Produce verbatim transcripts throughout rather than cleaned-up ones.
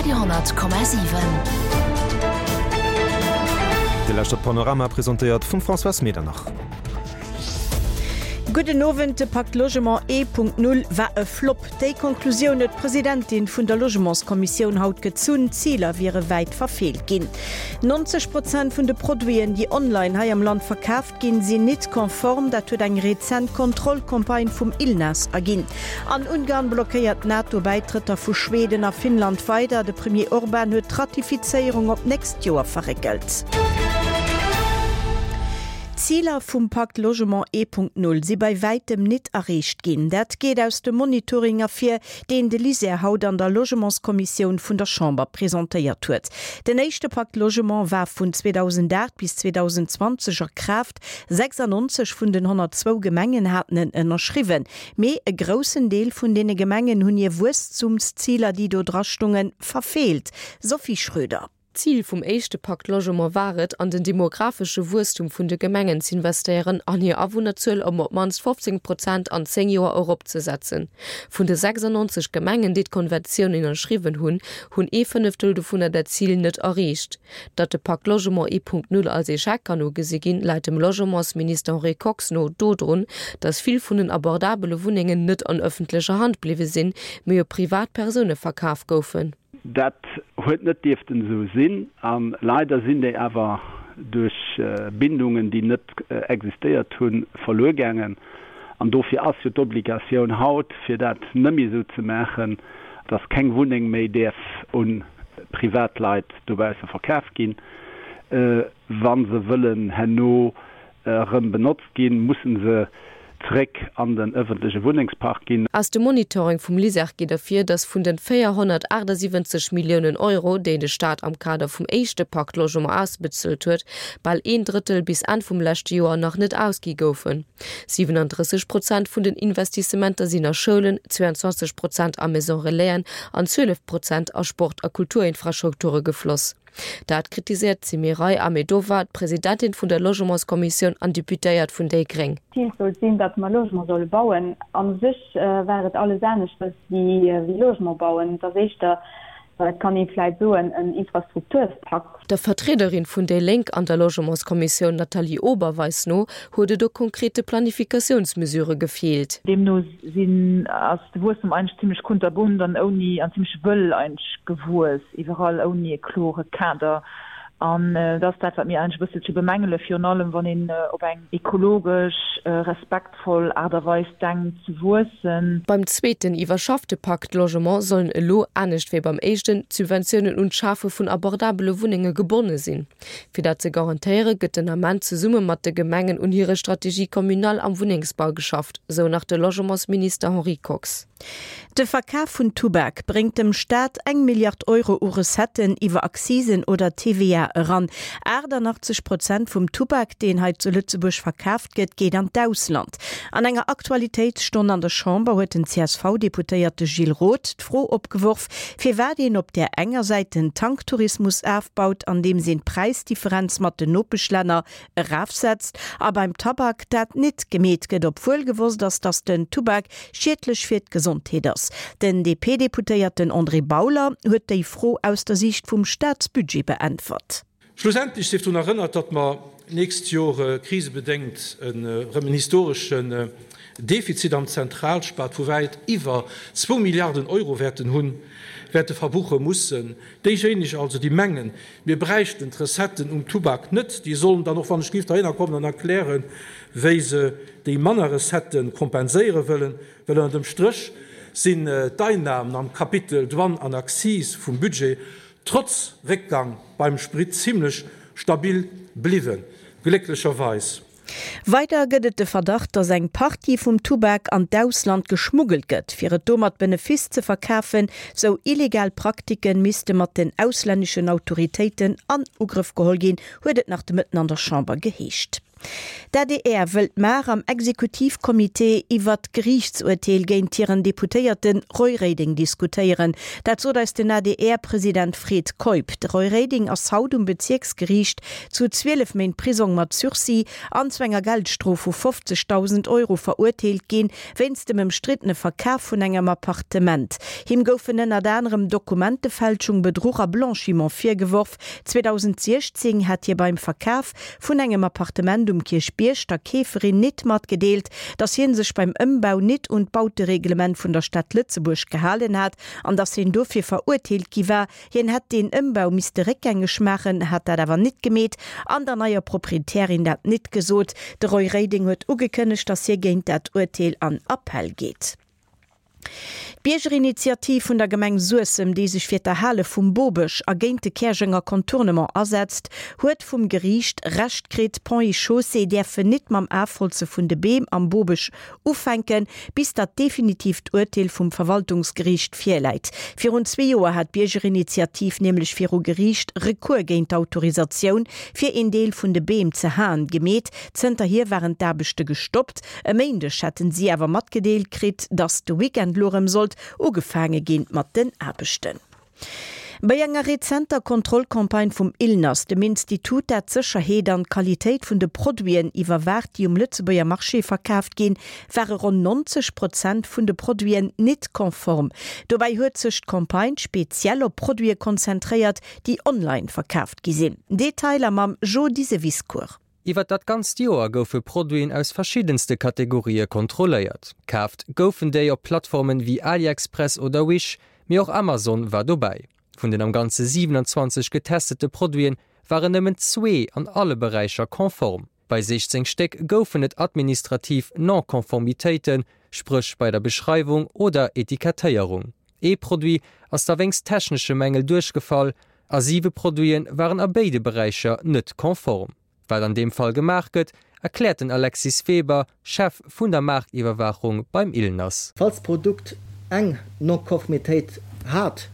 Radio honnert Komma siwen. Dir lauschtert Panorama, presentéiert vum Françoise Medernach. Gudden Owend, De Pakt Logement ee Punkt Null war e Flopp. Déi Konklusioun huet d'Presidentin vun der Logementskommissioun haut gezunn. D'Ziler wiere wäit verfeelt ginn. Nonzeg Prozent vun de Produiten, déi online hei am Land verkaaft ginn, sinn nit konform. Dat huet eng rezent Kontrollcampagne vum ILNAS erginn. An Ungarn blockéiert d'NATO-Bäitrëtter vu Schweden a Finnland weider. De Premier Orban huet d'Ratifizéierung op d'nächst Joer verréckelt. D'Ziler vum Pakt Logement ee Punkt Null si bei wäitem nit erreecht ginn. Dat geet aus dem Monitoring ervir, deen de LISER haut an der Logementskommissioun vun der Chamber presentéiert huet. Den éischte Pakt Logement war vun zweedausendacht bis zweedausendzwanzeg a Kraaft. sechsannonzeg vun den honnertzwou Gemengen haten en ënnerschriwwen. Mee e groussen Deel vun deene Gemengen hunn hir Wuesstumsziler, déi do drastungen, verfeelt. Sophie Schröder. D'Zil vum éischte Pakt Logement war et, an den demographesche Wuesstum vun de Gemengen z'investéieren an hir Awunnerzuel ëm op d'mannst fofzéng Prozent an zéng Joer eropzesetzen. Vun de sechsannonzeg Gemengen, déi d'Konventioun ënnerschriwwen hunn, hunn ee Fënneftel dovunner dat Zil net erreecht. Datt de Pakt Logement ee Punkt Null als Echec kann ugesi ginn, läit dem Logementsminister Henri Kox no dodrun, datt vill vun den abordabele Wunnengen net an ëffentlecher Hand bliwwe sinn, mee u privat Persoune verkaf goufen. Dat huet net dierften esou sinn, a leider sinn déi awer duerch Bindungen, déi net existéiert hunn, verluer gaangen. An dofir ass jo d'Obligatioun haut, fir dat net méi esou ze maachen, dass keng Wunneng méi däerf u Privatleit dobausse verkaf ginn. Wa se wëllen herno erëm benotzt ginn, musse se zeréck an den ëffentleche Wunnengspark ginn. Aus dem Monitoring vum LISER geet ervir, datt vun den véierhonnertaachtsiwwenzeg Milliounen Euro, déi de Staat am Kader vum éischte Pakt Logement ausbezuelt huet, bal een Drëttel bis Enn vum leschte Joer nach net ausgi goufen. siwenandrësseg Prozent vun den Investissementer sinn a Schoulen, zweeanzwanzeg Prozent a Maison Relaisen an zwielef Prozent a Sport a Kulturinfrastrukture gefloss. Dat kritiséiert d'Semiray Ahmedova, d'Presidentin vun der Logementskommissioun an Deputéiert vun déi Gréng. D'Zil sollt sinn, datt mer Logement solle bauen. A sech war et alles aneschters wéi Logement bauen. Et ass éischter, et kann ee vläicht soen, en Infrastrukturpakt. Der Vertriederin vun déi Lénk an der Logementskommissioun Nathalie Oberweis no huet et u konkrete Planifikatiounsmesurë gefeelt. Deemno sinn, ass de Wuesstem eigentlech zimlech kunterbunt an ouni, an zimlech wëll eigentlech gewuess, iwwerall ouni e klore Kader. An dat ass dat, wat mir eigentlech e bësselche bemängelen, virun allem wann een op eng ekologesch respektvoll Aart a Weis denkt ze wuessen. Beim zweeten iwwerschaffte Pakt Logement sollen elo, anescht wéi beim éischten, d'Subventiounen un d'Schafe vun abordabele Wunnenge gebonne sinn. Fir dat ze garantéiere gëtt den Ament zesumme mat de Gemengen un hire Stratégie communale am Wunnengsbau geschafft, sou nach de Logementsminister Henri Kox. De Verkaf vun Tubak bréngt dem Staat eng Milliard Euro u Recetten iwwer Accisen oder T V A eran. Achtannachtzeg Prozent vum Tubak, deen hei zu Lëtzebuerg verkaaft gëtt, geet an d'Ausland. An enger Aktualitéitsstonn an der Chamber huet den C S V-Deputéierte Gilles Roth d'Fro opgeworf, firwat een op där enger Säit den Tanktourismus afbaut, andeems een d'Präisdifferenz mat den Nopeschlänner erafsetzt, a beim Tabak dat nit gemeet gëtt, obwuel gewosst ass, datt den Tubak schiedlech fir d'Gesondheet ass. Den D P-Deputéierten André Bauler huet déi Fro aus der Siicht vum Staatsbudget beäntwert. Schlussendlech sief drun erënnert, datt mer nächst Joer krisebedéngt erëm en historeschen Defizit am Zentralstaat vu wäit iwwer zwou Milliarden Euro wäerten hunn, wäerte verbuche mussen. Déijéineg also, déi mengen, mir bräichten d'Recetten um Tubak net, déi sollen dann och, wann ech géif dohinner kommen an erklären, wéi se déi manner Recettë kompenséiere wëllen, well ënner dem Stréch sinn d'Einnahmen am Kapitel Douane an Accise vum Budget trotz Réckgang beim Sprit zimmlech stabil bliwwen, glécklecherweis. Weider gëtt et de Verdacht, datt eng Partie vum Tubak an d'Ausland geschmuggelt gëtt, fir et do mat Benefice ze verkafen. Sou illegal Praktiken misste mat den auslänneschen Autoritéiten an Ugrëff geholl ginn, huet et nach de Mëtten an der Chamber geheescht. D'ADR wëllt mar am Exekutivkommitee iwwer d'Geriichtsurteel géint hiren Deputéierte Roy Reding diskutéieren. Dat sot eis den ADR-President Fred Keup. De Roy Reding ass haut um Bezierksgeriicht zu zwielef Méint Prisong mat Sursis an zu enger Geldstrof vu fofzegdausend Euro verurteelt ginn, wéinst dem ëmstriddene Verkaf vun engem Appartement. Him goufen ënnert anerem Dokumentefälschung, Bedruch a Blanchiment virgeworf. zweedausendsechzéng hat hie beim Verkaf vun engem Appartement um Kierchbierg der Keeferin nit matgedeelt, datt hie sech beim Ëmbau nit un d'Bautereglement vun der Stad Lëtzebuerg gehalen hat an datt hien dofir verurteelt gi war. Hien hätt deen Ëmbau misste réckgängeg maachen, hat dat awer nit gemeet an der neier Proprietärin dat nit gesot. De Roy Reding huet ugekënnegt, datt hie géint dat Urteel an Appell geet. D'Biergerinitiativ vun der Gemeng Suessem, déi sech fir d'Erhale vum Bobësch a géint de Käerjenger Contournement asetzt, huet vum Geriicht Recht kritt, Ponts et Chaussées däerfen nit mam Afholze vun de Beem am Bobësch ufänken, bis dat definitiivt Urteel vum Verwaltungsgeriicht virläit. Virun zwee Joer hat d'Biergerinitiativ nämlech viru Geriicht Recours géint d'Autorisatioun, fir een Deel vun de Beem ze haen, gemeet. Zënterhier waren d'Aarbechte gestoppt. E Méindeg hätten si awer matgedeelt kritt, datt de Weekend lo erëm sollt ugefaange ginn mat den Aarbechten. Bei enger rezenter Kontrollcampagne vum ILNAS, dem Institut dat d'Sécherheet an d'Qualitéit vun de Produiten iwwerwaacht déi um Lëtzebuerger Marché verkaaft ginn, ware ronn neunzeg Prozent vun de Produiten nit konform. Dobäi huet sech d'Campagne speziell op Produite konzentréiert, déi online verkaaft gi sinn. Detailer mam Jo Diseviscourt. Iwwer dat ganzt Joer goufe Produiten aus verschiddenste Kategorië kontrolléiert. Kaaft goufen déi op Plattformen wéi AliExpress oder Wish, mee och Amazon war dobäi. Vun den am Ganze siwenanzwanzeg getestete Produiten waren nëmmen zwee an alle Beräicher konform. Bei siechzéng Stéck goufen et administrativ Non-Konformitéiten, spréch bei der Beschreiwung oder Etikettéierung. Ee Produit ass da wéinst technesche Mängel duerchgefall a siwe Produite waren a béide Beräicher net konform. Wat an deem Fall gemaach gëtt, erkläert den Alexis Weber, Chef vun der Maartiwwerwaachung beim ILNAS. Falls d'Produkt eng Non-Konformitéit hat,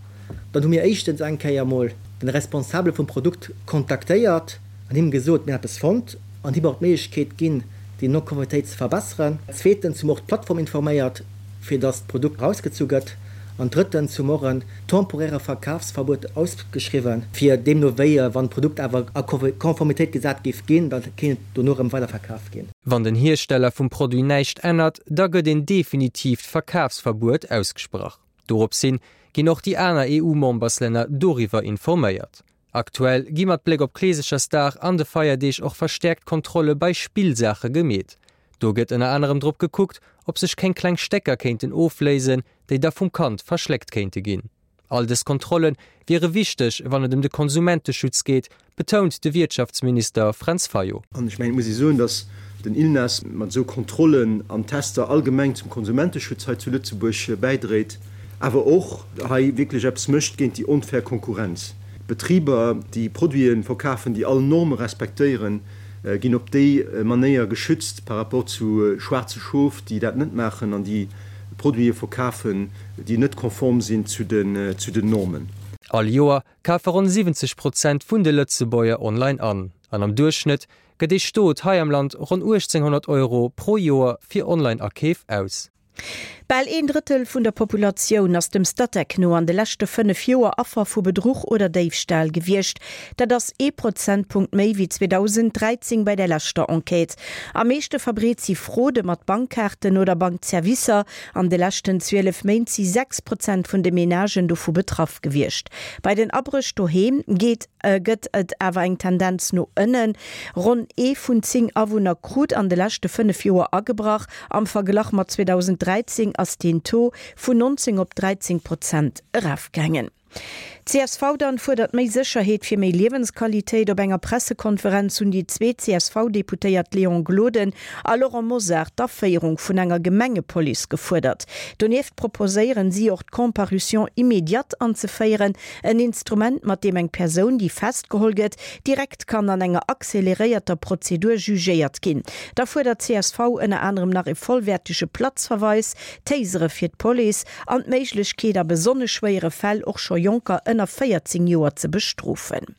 dann hu mir éischtens eng Kéier emol den Responsabele vum Produkt kontaktéiert an him gesot, mir hätten eppes fonnt an him och d'Méiglechkeet ginn, déi Non-Konformitéit ze verbesseren. Zweetens hu mer och d'Plattform informéiert, fir dass d'Produkt erausgezu gëtt. An drëttens hu mer och en temporäre Verkafsverbuet ausgeschriwwen, fir deemno wéi, wann d'Produkt awer a Konformitéit gesat géif ginn, da kéint et dono erëm weiderverkaf ginn. Wann den Hiersteller vum Produit näischt ännert, da gëtt een definitiivt Verkafsverbuet ausgesprach. Dorops hin ginn och déi aner E U-Memberslänner doriwwer informéiert. Aktuell gi mat Bléck op Kleesechersdag an de Feierdeeg och verstäerkt Kontrolle bei Spillsaache gemeet. Do gëtt ënner anerem drop gekuckt, ob sech keng kleng Stécker kéinten ofléisen, déi da vum Kand verschléckt kéinte ginn. All dës Kontrolle wiere wichteg, wann et ëm de Konsumenteschutz geet, betount de Wirtschaftsminister Fränz Fayot. An ech mengen, et muss ee soen, datt den ILNAS mat esou Kontrollen an Tester allgemeng zum Konsumenteschutz hei zu Lëtzebuerg bäidréit, awer och hei wierklech eppes mécht géint déi onfair Konkurrenz. Betriber, déi Produite verkafen, déi all Norme respektéieren, ginn op déi Manéier geschützt par rapport zu schwaarze Schof, déi dat net maachen an déi Produite verkafen, déi net konform sinn zu den Normen. All Joer kafe ronn siwwenzeg Prozent vun de Lëtzebuerger online an. An am Duerchschnëtt gëtt ee Stot hei am Land ronn uechtzénghonnert Euro pro Joer fir Online-Akeef aus. Bal een Drëttel vun der Populatioun ass dem Statec no an de leschte fënnef Joer Affer vu Bedruch oder Déifstal gewiescht. Dat ass ee Prozentpunkt méi wéi zweedausenddräizéng bei der leschter Enquête. Am meeschte verbreet si Fraude mat Bankkaarten oder Bankservicer. An de leschten zwielef Méint si sechs Prozent vun de Menagen dovu betraff gewiescht. Bei den Abréch doheem geet gëtt et awer eng Tendenz no ënnen. Ronn ee vun zéng Awunner krut an de leschte fënnef Joer agebrach. Am Verglach mat zweedausenddräizéng ass deen Taux vun nonzéng op dräizéng Prozent erafgaangen. Csv dann fuerdert méi Sécherheet fir méi Liewensqualitéit. Op enger Pressekonferenz hunn déi zwee C S V-Deputéiert Léon Gloden a Laurent Mosar d'Aféierung vun enger Gemengepolice gefuerdert. Donieft proposéieren si och d'Comparution immédiate anzeféieren, en Instrument, mat deem eng Persoun, déi festgeholl gëtt, direkt kann an enger acceleréierter Prozedur jugéiert ginn. Da fuerdert csv ënner anerem nach e vollwäertege Platzverweis, Tasere fir d'Police an d'Méiglechkeet, a besonnesch schwéiere Fäll och scho Jonker ënner véierzéng Joer ze bestrofen.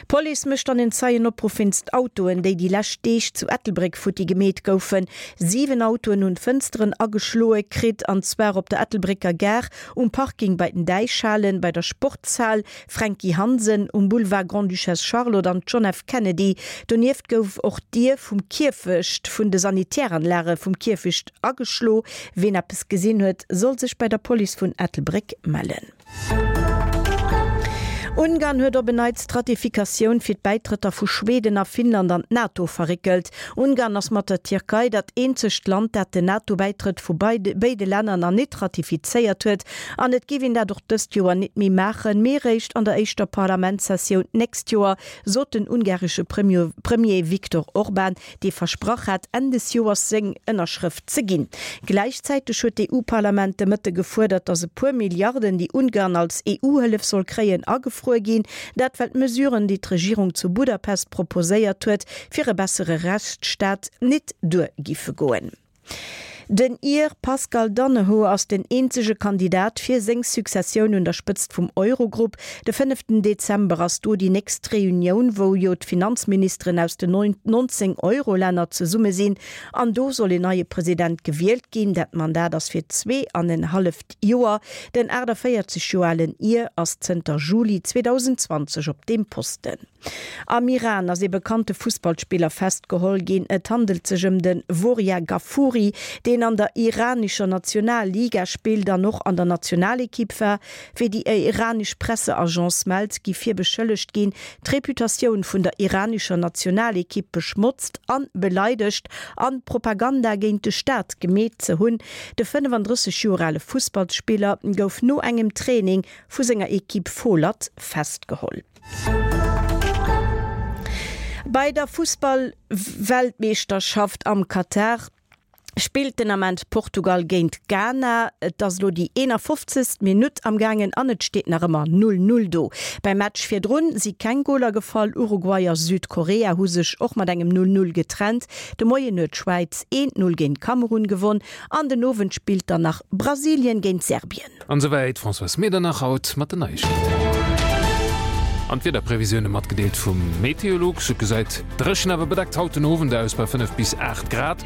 D'Police mécht dann en Zeienopruff wéinst Autoen, déi déi lescht Deeg zu Ettelbréck futti gemeet goufen. Siwen Autoen hunn d'Fënsteren ageschloe kritt, an zwar op der Ettelbrécker Gare, um Parking bei den Däichhalen, bei der Sportshal Fränki Hansen, um Boulevard Grande-Duchesse Charlotte an John F. Kennedy. Donieft gouf och d'Dier vum Kierfecht vun de Sanitäranlage vum Kierfecht ageschlo. Ween eppes gesinn huet, soll sech bei der Police vun Ettelbréck mellen. Ungarn huet op en Neits d'Ratifikatioun fir d'Bäitrëtter vu Schweden a Finnland an d'NATO verréckelt. Ungarn ass mat der Tierkei dat eenzegt Land, dat den NATO-Bäitrëtt vu béide Länner nach nit ratifizéiert huet. An et géif een dat och dëst Joer nit méi maachen, mee réischt an der éischter Parlamentssessioun d'nächst Joer, sot den ungaresche Premier Viktor Orban, dee versprach hat, Enn des Joers seng Ënnerschrëft ze ginn. Gläichzäiteg huet d'EU-Parlament de Mëtte gefuerdert, datt e puer Milliarden, déi Ungarn als EU-Hëllef soll kréien, agefruer ginn. Dat well d'Mesuren, déi d'Regierung zu Budapest proposéiert huet, fir e bessere Rechtsstaat, nit duer giffe goen. Den Ir Pascal Donohoe ass den eenzege Kandidat fir seng Successioun un der Spëtzt vum Eurogrupp. De fënneften Dezember ass do déi nächst Reunioun, wou jo d'Finanzministeren aus den neunzéng Eurolänner zesumme sinn. An do soll een neie President gewielt ginn. Dat Mandat ass fir zwee an en halleft Joer. Den aachtavéierzeg Joer alen Ir ass zënter Juli zweedausendzwanzeg op deem Posten. Am Iran ass ee bekannte Fussballspiller festgeholl ginn. Et handelt sech ëm de Voria Ghafouri, deen an der iranescher Nationalliga spillt an och an der Nationalekipp war. Wéi déi iranesch Presseagence mellt, gi fir beschëllegt ginn, d'Reputatioun vun der iranescher Nationalekipp beschmotzt an beleidegt an Propaganda géint de Staat gemeet ze hunn. De fënnefandrësseg Joer ale Fussballsspiller gouf no engem Training vu senger Ekipp Foolad festgeholl. Bei der Fussball-Weltmeeschterschaft am Katar spillt den Ament Portugal géint Ghana. Et ass elo déi eenafofzegst Minutt am gaangen an et steet nach ëmmer null null do. Beim Match virdrun si keng Goler gefall. Uruguay a Südkorea hu sech och mat engem null null getrennt. De Moien huet d'Schwäiz eent null géint Kamerun gewonn an den Owend spillt dann nach Brasilien géint Serbien. An esouwäit d'Françoise Medernach haut mat den Neiegkeeten. An d'Wiederprevisioune matgedeelt vum Meteolux. Et gesäit dréchen awer bedeckt haut den Owend aus bei fënnef bis aacht Grad.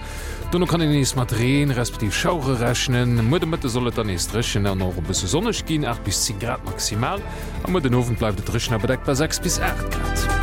Dono kann een nees mat Reen respektiv Schauere rechnen. Muer de Mëtte soll et dann nees dréchen an och e bësse sonneg ginn, aacht bis zéng Grad maximal. A muer den Owend bleift et dréchen a bedeckt bei sechs bis aacht Grad.